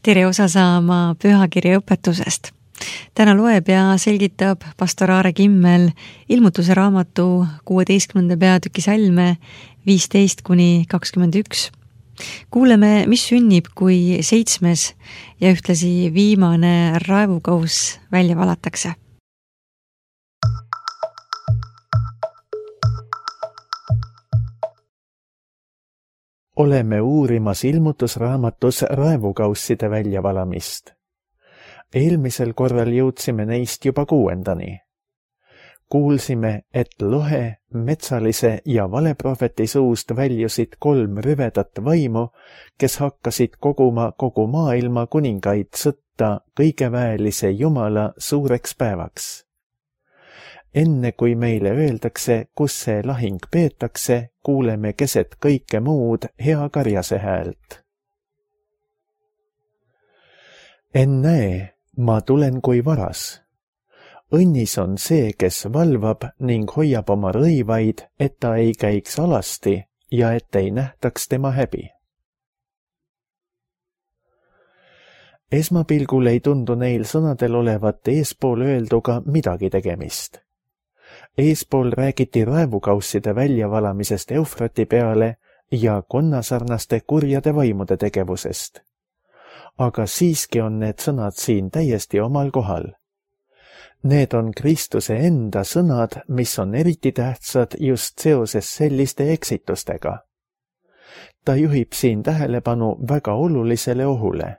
tere osa saama pühakirja õpetusest. Täna loeb ja selgitab pastor Aare Kimmel ilmutuse raamatu 16. peatüki salme 15-21. Kuuleme, mis sünnib, kui 7. ja ühtlasi viimane raevukauss välja valatakse. Oleme uurimas ilmutusraamatus raevukausside väljavalamist. Eelmisel korral jõudsime neist juba 6. Kuulsime, et lohe, metsalise ja valeprohveti suust väljusid 3 rüvedat vaimu, kes hakkasid koguma kogu maailma kuningaid sõtta kõigeväelise Jumala suureks päevaks. Enne kui meile öeldakse, kus see lahing peetakse, kuuleme keset kõike muud hea karjase häält. Ennäe, ma tulen kui varas. Õnnis on see, kes valvab ning hoiab oma rõivaid, et ta ei käiks alasti ja et ei nähtaks tema häbi. Esmapilgul ei tundu neil sõnadel olevat eespool öelduga midagi tegemist. Eespool räägiti raevukausside väljavalamisest Eufrati peale ja konnasarnaste kurjade vaimude tegevusest. Aga siiski on need sõnad siin täiesti omal kohal. Need on Kristuse enda sõnad, mis on eriti tähtsad just seoses selliste eksitustega. Ta juhib siin tähelepanu väga olulisele ohule.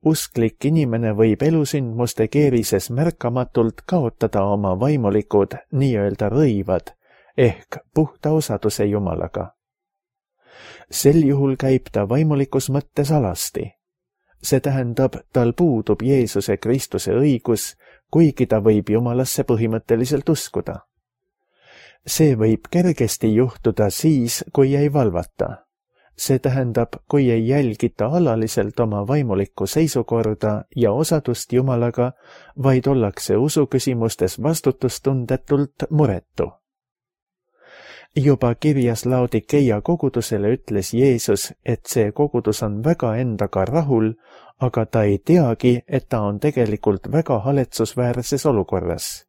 Usklik inimene võib elusündmuste keerises märkamatult kaotada oma vaimulikud nii-öelda rõivad ehk puhta osaduse Jumalaga. Sel juhul käib ta vaimulikus mõttes alasti. See tähendab, tal puudub Jeesuse Kristuse õigus, kuigi ta võib Jumalasse põhimõtteliselt uskuda. See võib kergesti juhtuda siis, kui ei valvata. See tähendab, kui ei jälgita alaliselt oma vaimulikku seisukorda ja osadust Jumalaga, vaid ollakse usuküsimustes vastutustundetult muretu. Juba kirjas Laodikeia kogudusele ütles Jeesus, et see kogudus on väga endaga rahul, aga ta ei teagi, et ta on tegelikult väga haletsusväärses olukorras,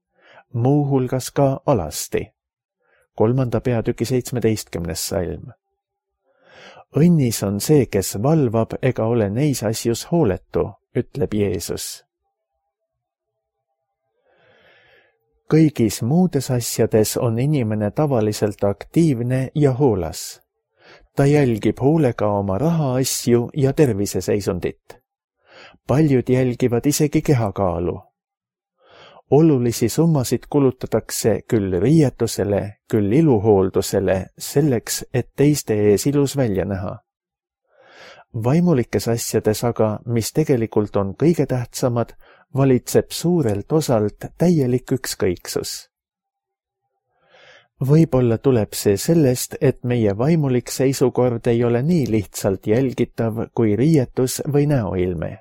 muuhulgas ka alasti. 3. peatüki 17. salm. Õnnis on see, kes valvab ega ole neis asjus hooletu, ütleb Jeesus. Kõigis muudes asjades on inimene tavaliselt aktiivne ja hoolas. Ta jälgib hoolega oma rahaasju ja terviseseisundit. Paljud jälgivad isegi kehakaalu. Olulisi summasid kulutatakse küll riietusele, küll iluhooldusele, selleks, et teiste ees ilus välja näha. Vaimulikes asjades aga, mis tegelikult on kõige tähtsamad, valitseb suurelt osalt täielik ükskõiksus. Võib-olla tuleb see sellest, et meie vaimulik seisukord ei ole nii lihtsalt jälgitav kui riietus või näoilme.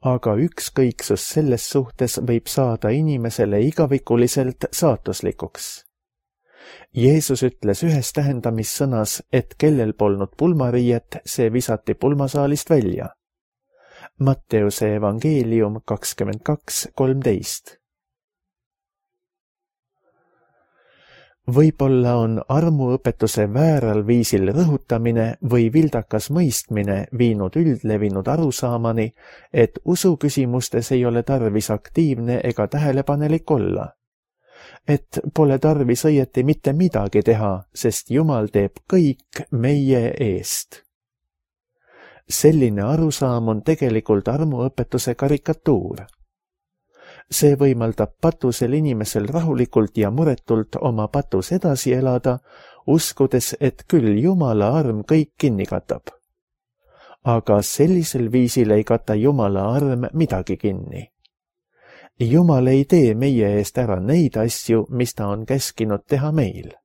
Aga ükskõiksus selles suhtes võib saada inimesele igavikuliselt saatuslikuks. Jeesus ütles ühes tähendamissõnas, et kellel polnud pulmariiet, see visati pulmasaalist välja. Matteuse evangeelium 22:13. Võib-olla on armuõpetuse vääral viisil rõhutamine või vildakas mõistmine viinud üldlevinud arusaamani, et usuküsimustes ei ole tarvis aktiivne ega tähelepanelik olla. Et pole tarvis õieti mitte midagi teha, sest Jumal teeb kõik meie eest. Selline arusaam on tegelikult armuõpetuse karikatuur. See võimaldab patusel inimesel rahulikult ja muretult oma patus edasi elada, uskudes, et küll Jumala arm kõik kinni katab. Aga sellisel viisil ei kata Jumala arm midagi kinni. Jumal ei tee meie eest ära neid asju, mis ta on käskinud teha meil.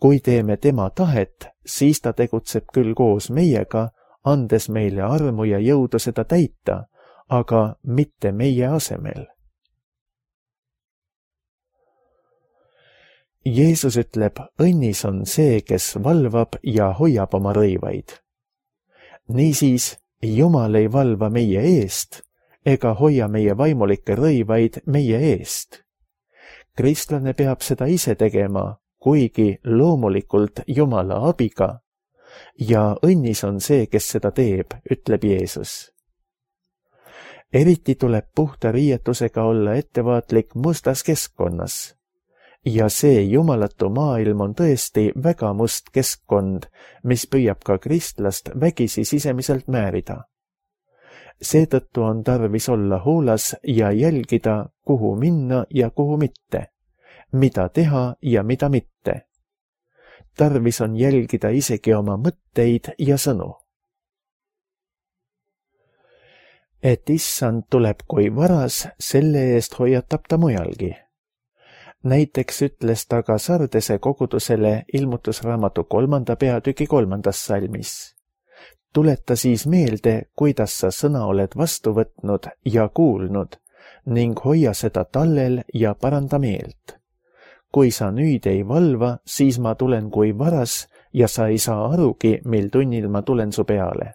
Kui teeme tema tahet, siis ta tegutseb küll koos meiega, andes meile armu ja jõudu seda täita, aga mitte meie asemel. Jeesus ütleb, õnnis on see, kes valvab ja hoiab oma rõivaid. Niisiis, Jumal ei valva meie eest ega hoia meie vaimulikke rõivaid meie eest. Kristlane peab seda ise tegema, kuigi loomulikult Jumala abiga. Ja õnnis on see, kes seda teeb, ütleb Jeesus. Eriti tuleb puhta riietusega olla ettevaatlik mustas keskkonnas. Ja see jumalatu maailm on tõesti väga must keskkond, mis püüab ka kristlast vägisi sisemiselt määrida. Seetõttu on tarvis olla hoolas ja jälgida, kuhu minna ja kuhu mitte, mida teha ja mida mitte. Tarvis on jälgida isegi oma mõtteid ja sõnu. Et issand tuleb kui varas, selle eest hoiatab ta mujalgi. Näiteks ütles ta ka Sardese kogudusele Ilmutusraamatu 3. peatüki 3. salmis. Tuleta siis meelde, kuidas sa sõna oled vastu võtnud ja kuulnud ning hoia seda tallel ja paranda meelt. Kui sa nüüd ei valva, siis ma tulen kui varas ja sa ei saa arugi, mil tunnil ma tulen su peale.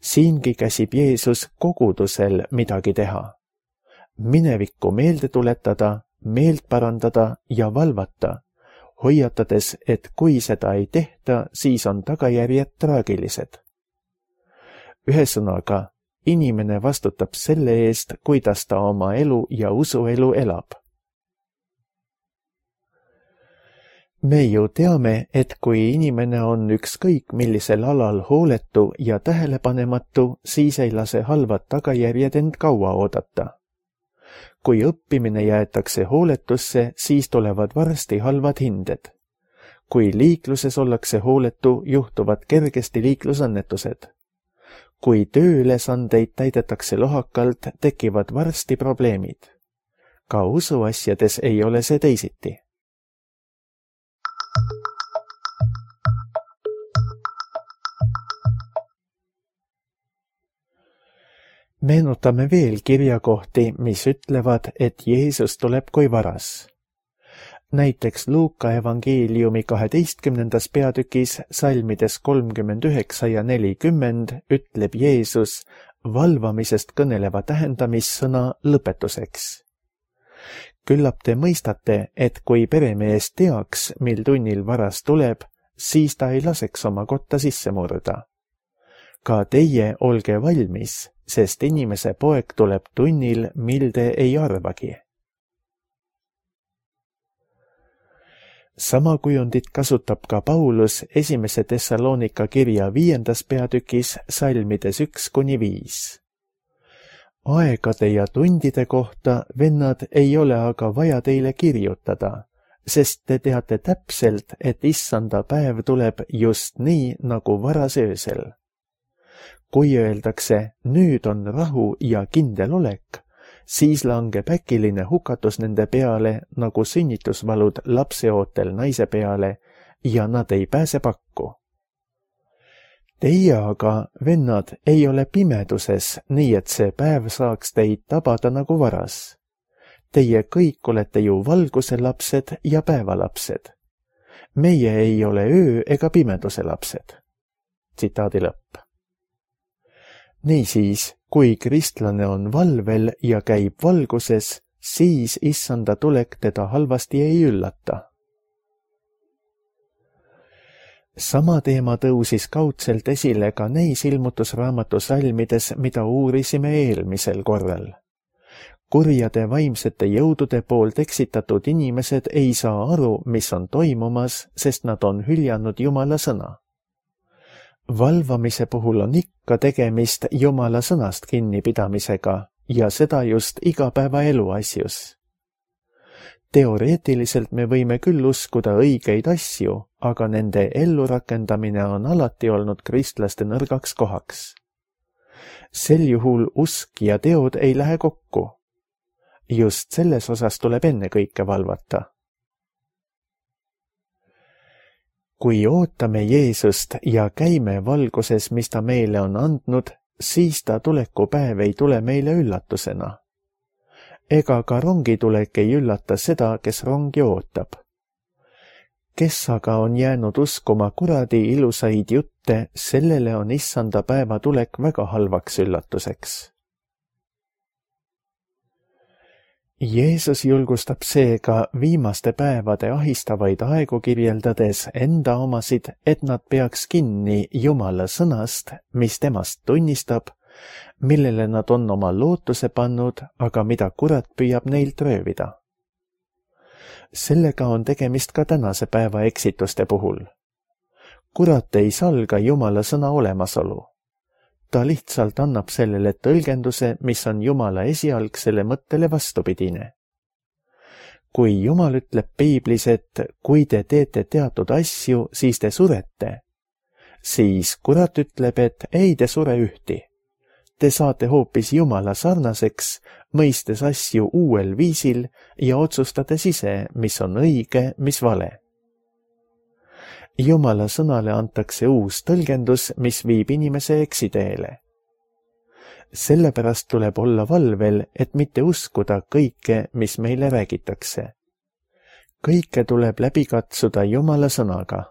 Siingi käsib Jeesus kogudusel midagi teha. Minevikku meelde tuletada, meelt parandada ja valvata, hoiatades, et kui seda ei tehta, siis on tagajärjed traagilised. Ühesõnaga, inimene vastutab selle eest, kuidas ta oma elu ja usuelu elab. Me ju teame, et kui inimene on ükskõik millisel alal hooletu ja tähelepanematu, siis ei lase halvad tagajärjed end kaua oodata. Kui õppimine jäetakse hooletusse, siis tulevad varsti halvad hinded. Kui liikluses ollakse hooletu, juhtuvad kergesti liiklusõnnetused. Kui tööülesandeid täidetakse lohakalt, tekivad varsti probleemid. Ka usuasjades ei ole see teisiti. Meenutame veel kirjakohti, mis ütlevad, et Jeesus tuleb kui varas. Näiteks Luuka evangeeliumi 12. peatükis salmides 39 ja 40 ütleb Jeesus valvamisest kõneleva tähendamissõna lõpetuseks. Küllap te mõistate, et kui peremees teaks, mil tunnil varas tuleb, siis ta ei laseks oma kotta sisse murda. Ka teie olge valmis, sest inimese poeg tuleb tunnil, mil te ei arvagi. Sama kujundit kasutab ka Paulus 1. Thessalonika kirja 5. peatükis salmides 1-5. Aegade ja tundide kohta, vennad, ei ole aga vaja teile kirjutada, sest te teate täpselt, et issanda päev tuleb just nii, nagu varas öösel. Kui öeldakse, nüüd on rahu ja kindel olek, siis langeb äkiline hukatus nende peale, nagu sünnitusvalud lapseootel naise peale ja nad ei pääse pakku. Teie aga, vennad, ei ole pimeduses, nii et see päev saaks teid tabada nagu varas. Teie kõik olete ju valguse lapsed ja päevalapsed. Meie ei ole öö ega pimeduse lapsed. Tsitaadi lõpp. Niisiis, kui kristlane on valvel ja käib valguses, siis issanda tulek teda halvasti ei üllata. Sama teema tõusis kaudselt esile ka neis Ilmutusraamatu salmides, mida uurisime eelmisel korral. Kurjade vaimsete jõudude poolt eksitatud inimesed ei saa aru, mis on toimumas, sest nad on hüljanud Jumala sõna. Valvamise puhul on ikka tegemist Jumala sõnast kinnipidamisega ja seda just igapäevaelu asjus. Teoreetiliselt me võime küll uskuda õigeid asju, aga nende ellurakendamine on alati olnud kristlaste nõrgaks kohaks. Sel juhul usk ja teod ei lähe kokku. Just selles osas tuleb ennekõike valvata. Kui ootame Jeesust ja käime valguses, mis ta meile on andnud, siis ta tulekupäev ei tule meile üllatusena. Ega ka rongitulek ei üllata seda, kes rongi ootab. Kes aga on jäänud uskuma kuradi ilusaid jutte ette, sellele on issanda päeva tulek väga halvaks üllatuseks. Jeesus julgustab seega viimaste päevade ahistavaid aegu kirjeldades enda omasid, et nad peaks kinni Jumala sõnast, mis temast tunnistab, millele nad on oma lootuse pannud, aga mida kurat püüab neilt röövida. Sellega on tegemist ka tänase päeva eksituste puhul. Kurat ei salga Jumala sõna olemasolu. Ta lihtsalt annab sellele tõlgenduse, mis on Jumala esialgsele mõttele vastupidine. Kui Jumal ütleb piiblis, et kui te teete teatud asju, siis te surete, siis kurat ütleb, et ei te sure ühti. Te saate hoopis Jumala sarnaseks, mõistes asju uuel viisil ja otsustades ise, mis on õige, mis vale. Jumala sõnale antakse uus tõlgendus, mis viib inimese eksiteele. Sellepärast tuleb olla valvel, et mitte uskuda kõike, mis meile räägitakse. Kõike tuleb läbi katsuda Jumala sõnaga.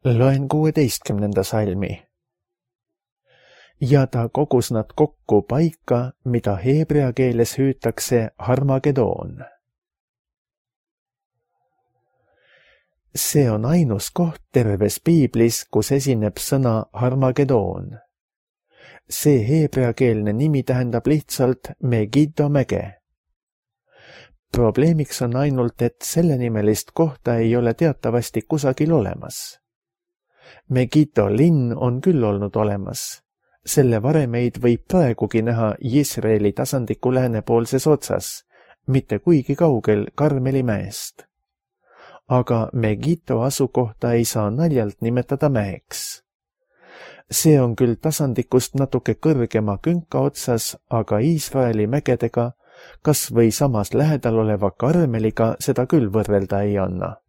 Loen 16. salmi. Ja ta kogus nad kokku paika, mida heebrea keeles hüütakse Harmagedoon. See on ainus koht terves piiblis, kus esineb sõna Harmagedoon. See heebreakeelne nimi tähendab lihtsalt Megiddo mäge. Probleemiks on ainult, et sellenimelist kohta ei ole teatavasti kusagil olemas. Megiddo linn on küll olnud olemas. Selle varemeid võib praegugi näha Iisraeli tasandiku läänepoolses otsas, mitte kuigi kaugel Karmeli mäest. Aga Megiddo asukohta ei saa naljalt nimetada mäeks. See on küll tasandikust natuke kõrgema künka otsas, aga Iisraeli mägedega, kas või samas lähedal oleva Karmeliga seda küll võrrelda ei anna.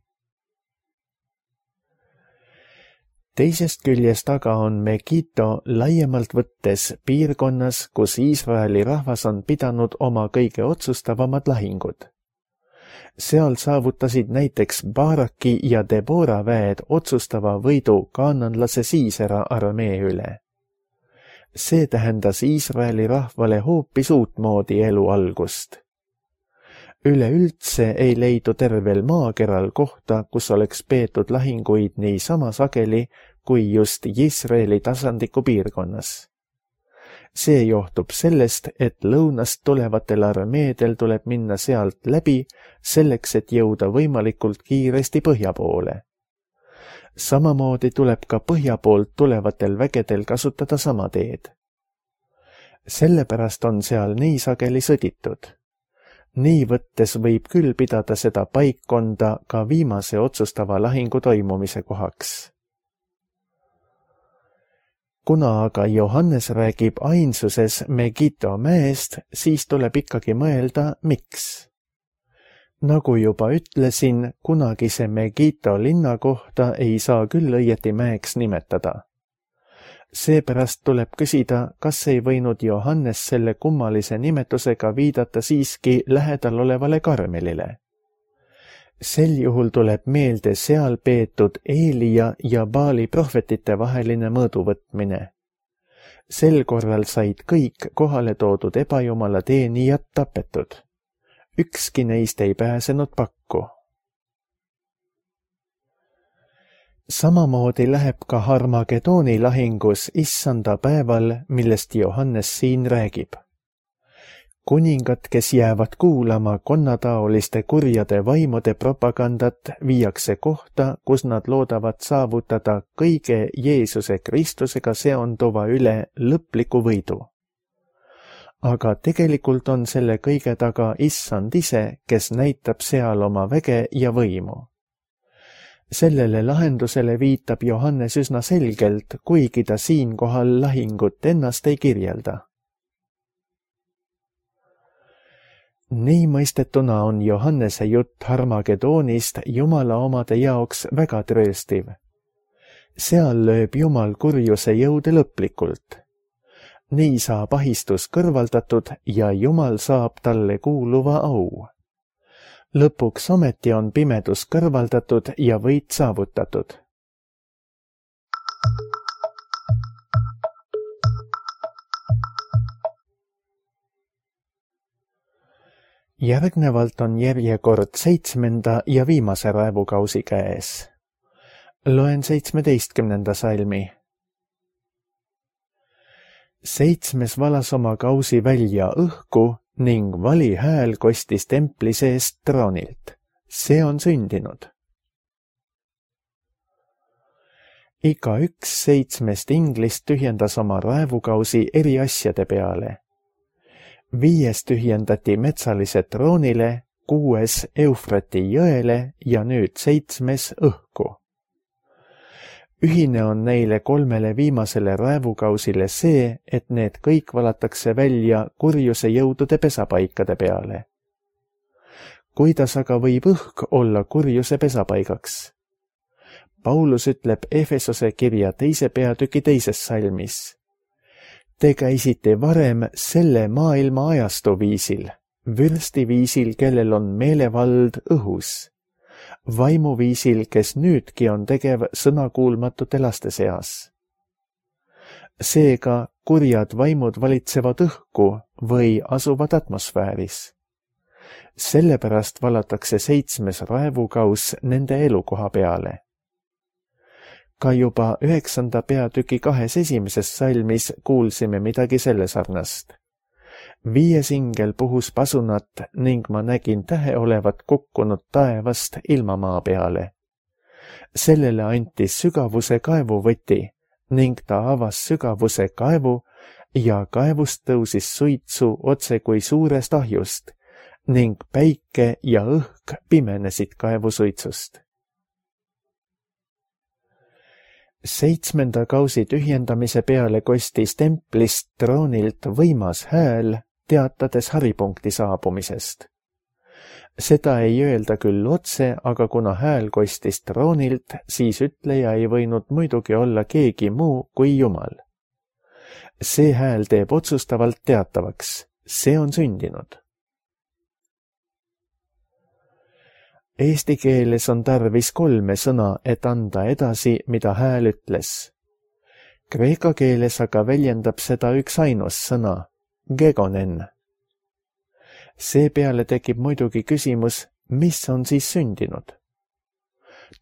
Teisest küljest aga on Megiddo laiemalt võttes piirkonnas, kus Iisraeli rahvas on pidanud oma kõige otsustavamad lahingud. Seal saavutasid näiteks Baraki ja Debora väed otsustava võidu kaananlase Siisera armee üle. See tähendas Iisraeli rahvale hoopis uutmoodi elu algust. Üleüldse ei leidu tervel maakeral kohta, kus oleks peetud lahinguid nii sama sageli kui just Iisraeli tasandiku piirkonnas. See johtub sellest, et lõunast tulevatel armeedel tuleb minna sealt läbi selleks, et jõuda võimalikult kiiresti põhja poole. Samamoodi tuleb ka põhja poolt tulevatel vägedel kasutada sama teed. Sellepärast on seal nii sageli sõditud. Nii võttes võib küll pidada seda paikkonda ka viimase otsustava lahingu toimumise kohaks. Kuna aga Johannes räägib ainsuses Megiddo mäest, siis tuleb ikkagi mõelda, miks. Nagu juba ütlesin, kunagise Megiddo linna kohta ei saa küll õieti mäeks nimetada. Seepärast tuleb küsida, kas ei võinud Johannes selle kummalise nimetusega viidata siiski lähedal olevale Karmelile. Sel juhul tuleb meelde seal peetud Eelia ja Baali prohvetite vaheline mõõduvõtmine. Sel korral said kõik kohale toodud ebajumala teenijad tapetud. Ükski neist ei pääsenud pakku. Samamoodi läheb ka Harmagedooni lahingus issanda päeval, millest Johannes siin räägib. Kuningad, kes jäävad kuulama konnataoliste kurjade vaimude propagandat, viiakse kohta, kus nad loodavad saavutada kõige Jeesuse Kristusega seonduva üle lõpliku võidu. Aga tegelikult on selle kõige taga issand ise, kes näitab seal oma väge ja võimu. Sellele lahendusele viitab Johannes üsna selgelt, kuigi ta siinkohal lahingut ennast ei kirjelda. Nii mõistetuna on Johannese jutt Harmagedoonist Jumala omade jaoks väga trööstiv. Seal lööb Jumal kurjuse jõude lõplikult. nii saab ahistus kõrvaldatud ja Jumal saab talle kuuluva au. Lõpuks ometi on pimedus kõrvaldatud ja võit saavutatud. Järgnevalt on järjekord 7. ja viimase raevukausi käes. Loen 17. salmi. 7. valas oma kausi välja õhku ning vali hääl kostis templi seest troonilt. See on sündinud. Igaüks 7 inglist tühjendas oma raevukausi eri asjade peale. 5 tühjendati metsalise troonile, 6 Eufrati jõele ja nüüd 7 õhku. Ühine on neile 3 viimasele raevukausile see, et need kõik valatakse välja kurjuse jõudude pesapaikade peale. Kuidas aga võib õhk olla kurjuse pesapaigaks? Paulus ütleb Efesose kirja 2. peatüki 2. salmis. Te käisite varem selle maailma ajastu viisil, vürsti viisil, kellel on meelevald õhus, vaimuviisil, kes nüüdki on tegev sõnakuulmatute laste seas. Seega kurjad vaimud valitsevad õhku või asuvad atmosfääris. Sellepärast valatakse 7. raevukaus nende elukoha peale. Ka juba 9. peatüki 2. esimeses salmis kuulsime midagi selle sarnast. 5. ingel puhus pasunat ning ma nägin tähe olevat kukkunud taevast ilmamaa peale. Sellele anti sügavuse kaevuvõti ning ta avas sügavuse kaevu ja kaevust tõusis suitsu otse kui suurest ahjust ning päike ja õhk pimenesid kaevusuitsust. 7. kausi tühjendamise peale kostis templist troonilt võimas hääl, teatades haripunkti saabumisest. Seda ei öelda küll otse, aga kuna hääl kostis troonilt, siis ütleja ei võinud muidugi olla keegi muu kui Jumal. See hääl teeb otsustavalt teatavaks, see on sündinud. Eesti keeles on tarvis 3 sõna, et anda edasi, mida hääl ütles. Kreeka keeles aga väljendab seda üksainus sõna, gegonen. Seepeale tekib muidugi küsimus, mis on siis sündinud?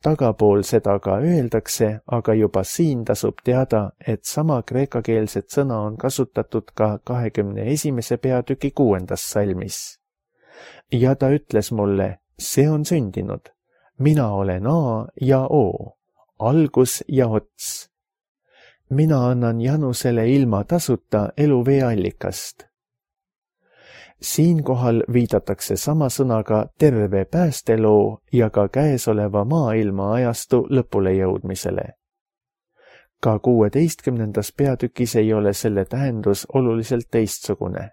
Tagapool seda ka öeldakse, aga juba siin tasub teada, et sama kreekakeelset sõna on kasutatud ka 21. peatüki 6. salmis. Ja ta ütles mulle, see on sündinud. Mina olen A ja O, algus ja ots. Mina annan Janusele ilma tasuta eluvee allikast. Siinkohal viidatakse sama sõnaga terve päästeloo ja ka käesoleva maailma ajastu lõpule jõudmisele. Ka 16. peatükis ei ole selle tähendus oluliselt teistsugune.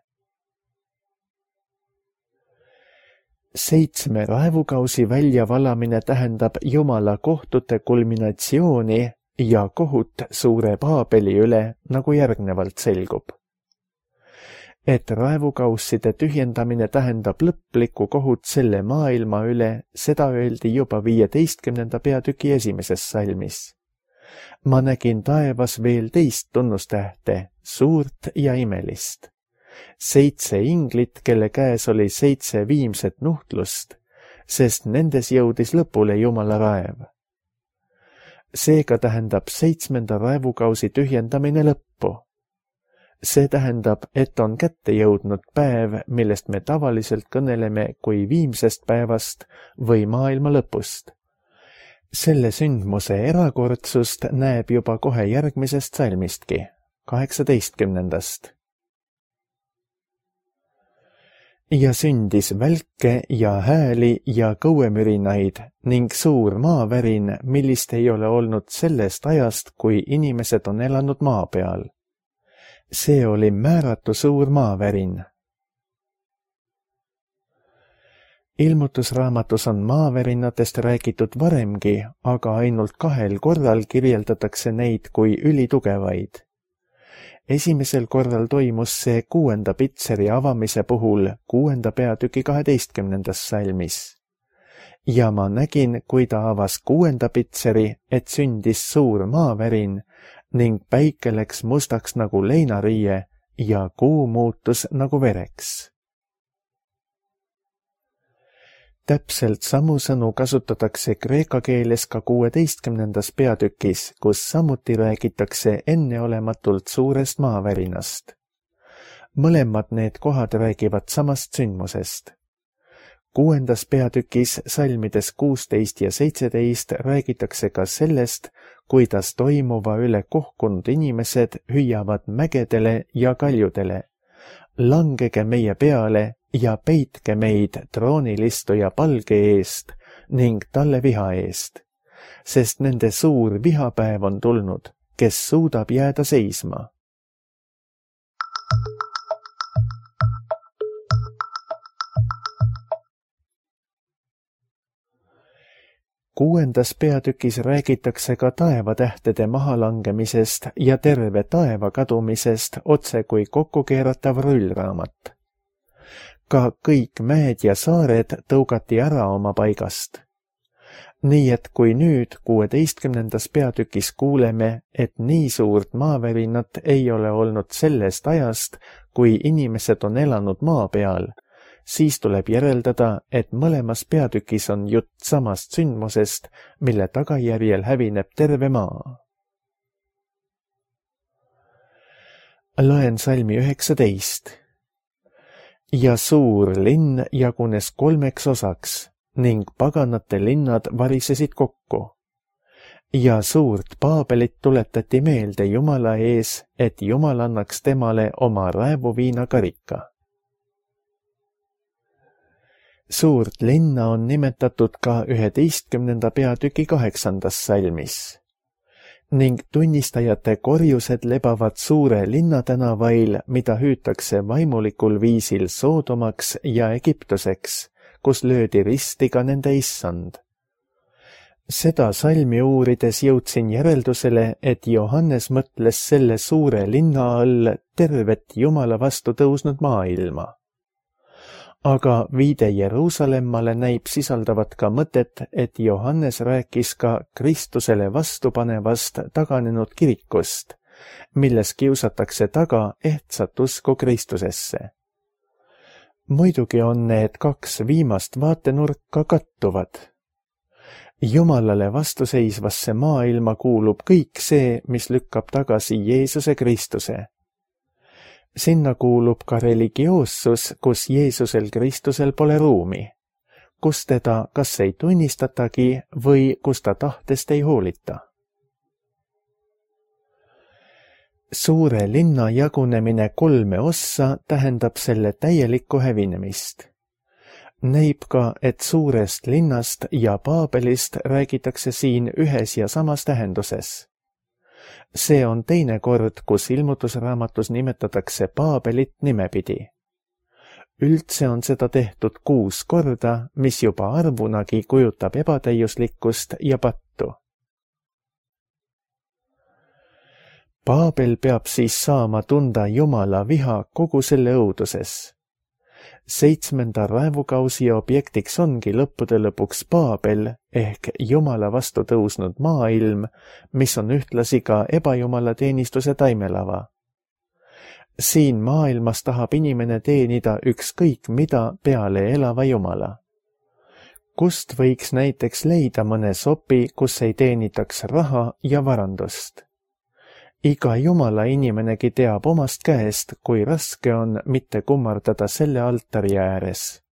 7 raevukausi väljavalamine tähendab Jumala kohtute kulminatsiooni ja kohut suure Paabeli üle, nagu järgnevalt selgub. Et raevukausside tühjendamine tähendab lõplikku kohut selle maailma üle, seda öeldi juba 15. peatüki 1. salmis. Ma nägin taevas veel teist tunnustähte, suurt ja imelist. 7 inglit, kelle käes oli 7 viimset nuhtlust, sest nendes jõudis lõpule Jumala raev. Seega tähendab 7. raevukausi tühjendamine lõppu. See tähendab, et on kätte jõudnud päev, millest me tavaliselt kõneleme kui viimsest päevast või maailma lõpust. Selle sündmuse erakordsust näeb juba kohe järgmisest salmistki, 18. Ja sündis välke ja hääli ja kõuemürinaid ning suur maavärin, millist ei ole olnud sellest ajast, kui inimesed on elanud maa peal. See oli määratu suur maavärin. Ilmutusraamatus on maavärinatest räägitud varemgi, aga ainult 2 korral kirjeldatakse neid kui ülitugevaid. Esimesel korral toimus see 6. pitseri avamise puhul 6. peatüki 12. salmis. Ja ma nägin, kui ta avas 6. pitseri, et sündis suur maavärin ning päike läks mustaks nagu leinariie ja kuu muutus nagu vereks. Täpselt samu sõnu kasutatakse kreeka keeles ka 16. peatükis, kus samuti räägitakse enneolematult suurest maavärinast. Mõlemad need kohad räägivad samast sündmusest. 6. peatükis salmides 16 ja 17 räägitakse ka sellest, kuidas toimuva üle kohkunud inimesed hüüavad mägedele ja kaljudele. Langege meie peale ja peitke meid troonilistuja palge eest ning talle viha eest, sest nende suur vihapäev on tulnud, kes suudab jääda seisma. Kuuendas peatükis räägitakse ka taevatähtede mahalangemisest ja terve taeva kadumisest otse kui kokkukeeratav rullraamat. Ka kõik mäed ja saared tõugati ära oma paigast. Nii et kui nüüd 16. peatükis kuuleme, et nii suurt maavärinat ei ole olnud sellest ajast, kui inimesed on elanud maa peal, siis tuleb järeldada, et mõlemas peatükis on jutt samast sündmusest, mille tagajärjel hävineb terve maa. Loen salmi 19. Ja suur linn jagunes 3 osaks ning paganate linnad varisesid kokku. Ja suurt Paabelit tuletati meelde Jumala ees, et Jumal annaks temale oma raevuviinakarika. Suurt linna on nimetatud ka 11. peatüki 8. salmis. Ning tunnistajate korjused lebavad suure linnatänavail, mida hüütakse vaimulikul viisil Soodomaks ja Egiptuseks, kus löödi risti ka nende issand. Seda salmi uurides jõudsin järeldusele, et Johannes mõtles selle suure linna all tervet Jumala vastu tõusnud maailma. Aga viide Jeruusalemmale näib sisaldavat ka mõtet, et Johannes rääkis ka Kristusele vastupanevast taganenud kirikust, milles kiusatakse taga ehtsat usku Kristusesse. Muidugi on need 2 viimast vaatenurka kattuvad. Jumalale vastuseisvasse maailma kuulub kõik see, mis lükkab tagasi Jeesuse Kristuse. Sinna kuulub ka religioossus, kus Jeesusel Kristusel pole ruumi, kus teda kas ei tunnistatagi või kus ta tahtest ei hoolita. Suure linna jagunemine 3 ossa tähendab selle täielikku hävinemist. Näib ka, et suurest linnast ja Paabelist räägitakse siin ühes ja samas tähenduses. See on teine kord, kus ilmutusraamatus nimetatakse Paabelit nimepidi. Üldse on seda tehtud 6 korda, mis juba arvunagi kujutab ebatäiuslikkust ja pattu. Paabel peab siis saama tunda Jumala viha kogu selle õuduses. 7. raevukausi objektiks ongi lõppude lõpuks Paabel ehk Jumala vastu tõusnud maailm, mis on ühtlasi ka ebajumala teenistuse taimelava. Siin maailmas tahab inimene teenida ükskõik mida peale elava Jumala. Kust võiks näiteks leida mõne sopi, kus ei teenitaks raha ja varandust? Iga Jumala inimenegi teab omast käest, kui raske on mitte kummardada selle altari ääres.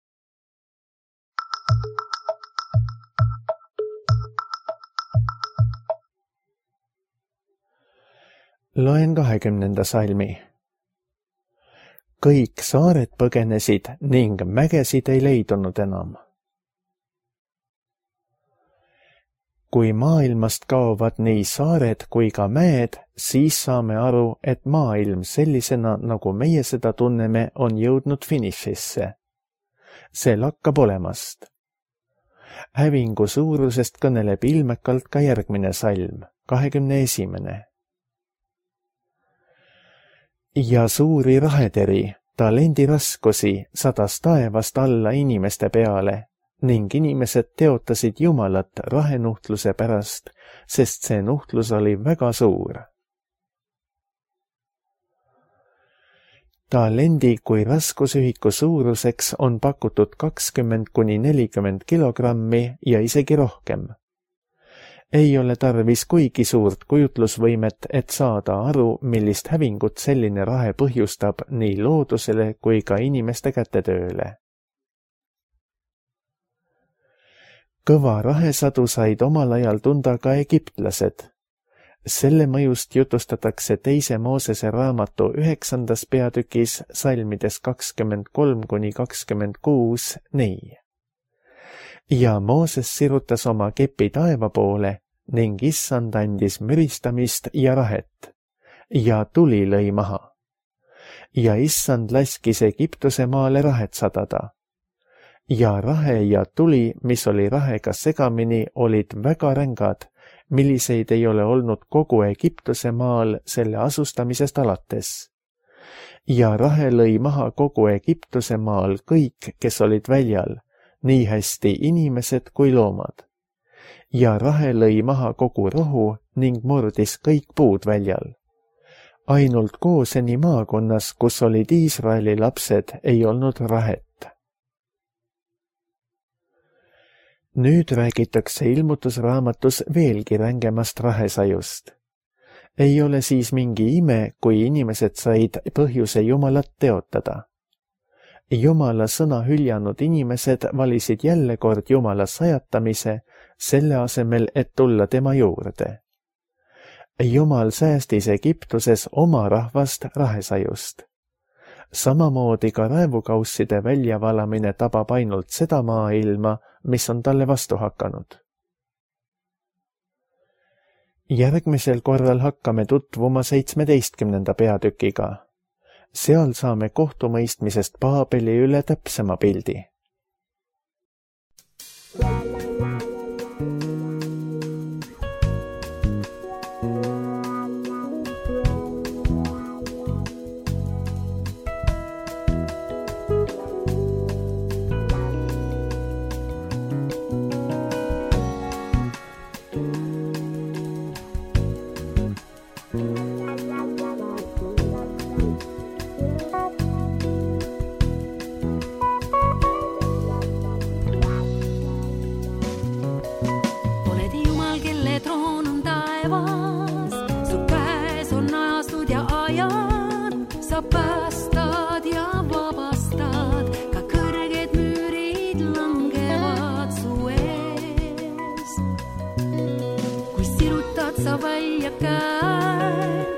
Loen 20. salmi. Kõik saared põgenesid ning mägesid ei leidunud enam. Kui maailmast kaovad nii saared kui ka mäed, siis saame aru, et maailm sellisena, nagu meie seda tunneme, on jõudnud finišisse. See lakkab olemast. Hävingu suurusest kõneleb ilmekalt ka järgmine salm, 21. ja suuri raheteri, talendi raskusi sadas taevast alla inimeste peale ning inimesed teotasid Jumalat rahenuhtluse pärast, sest see nuhtlus oli väga suur. Talendi kui raskusühiku suuruseks on pakutud 20–40 kilogrammi ja isegi rohkem. Ei ole tarvis kuigi suurt kujutlusvõimet, et saada aru, millist hävingut selline rahe põhjustab nii loodusele kui ka inimeste kätetööle. Kõva rahesadu said omal ajal tunda ka egiptlased. Selle mõjust jutustatakse 2. Moosese raamatu 9. peatükis salmides 23–26 nii. Ja Mooses sirutas oma kepi taeva poole ning issand andis müristamist ja rahet ja tuli lõi maha. Ja issand laskis Egiptuse maale rahet sadada. Ja rahe ja tuli, mis oli rahega segamini, olid väga rängad, milliseid ei ole olnud kogu Egiptuse maal selle asustamisest alates. Ja rahe lõi maha kogu Egiptuse maal kõik, kes olid väljal, nii hästi inimesed kui loomad. Ja rahe lõi maha kogu rohu ning murdis kõik puud väljal. Ainult Gooseni maakonnas, kus olid Iisraeli lapsed, ei olnud rahet. Nüüd räägitakse ilmutusraamatus veelgi rängemast rahesajust. Ei ole siis mingi ime, kui inimesed said põhjuse Jumalat teotada. Jumala sõna hüljanud inimesed valisid jälle kord Jumala sajatamise, selle asemel, et tulla tema juurde. Jumal säästis Egiptuses oma rahvast rahesajust. Samamoodi ka raevukausside väljavalamine tabab ainult seda maailma, mis on talle vastu hakanud. Järgmisel korral hakkame tutvuma 17. peatükiga. Seal saame kohtumõistmisest Paabeli üle täpsema pildi. Sa välja käed,